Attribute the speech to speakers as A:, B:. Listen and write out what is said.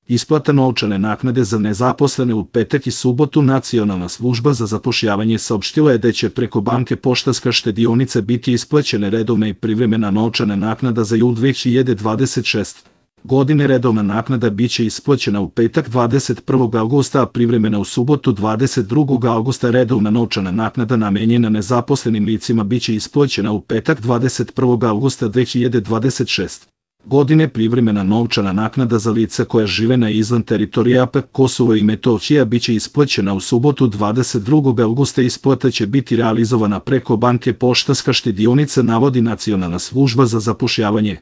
A: Isplata novčane naknade za nezaposlene u petak i subotu. Nacionalna služba za zapošljavanje saopštila je da će preko banke Poštanska štedionica biti isplaćene redovna i privremena novčana naknada za jul 2026. godine. Redovna naknada biće isplaćena u petak 21. avgusta, a privremena u subotu 22. avgusta. Redovna novčana naknada namenjena nezaposlenim licima biće isplaćena u petak 21. avgusta 2026. godine. Privremena novčana naknada za lica koja žive na izvan teritorija AP Kosovo i Metohija biće isplaćena u subotu 22. avgusta. Isplata će biti realizovana preko banke Poštanska štedionica, navodi Nacionalna služba za zapošljavanje.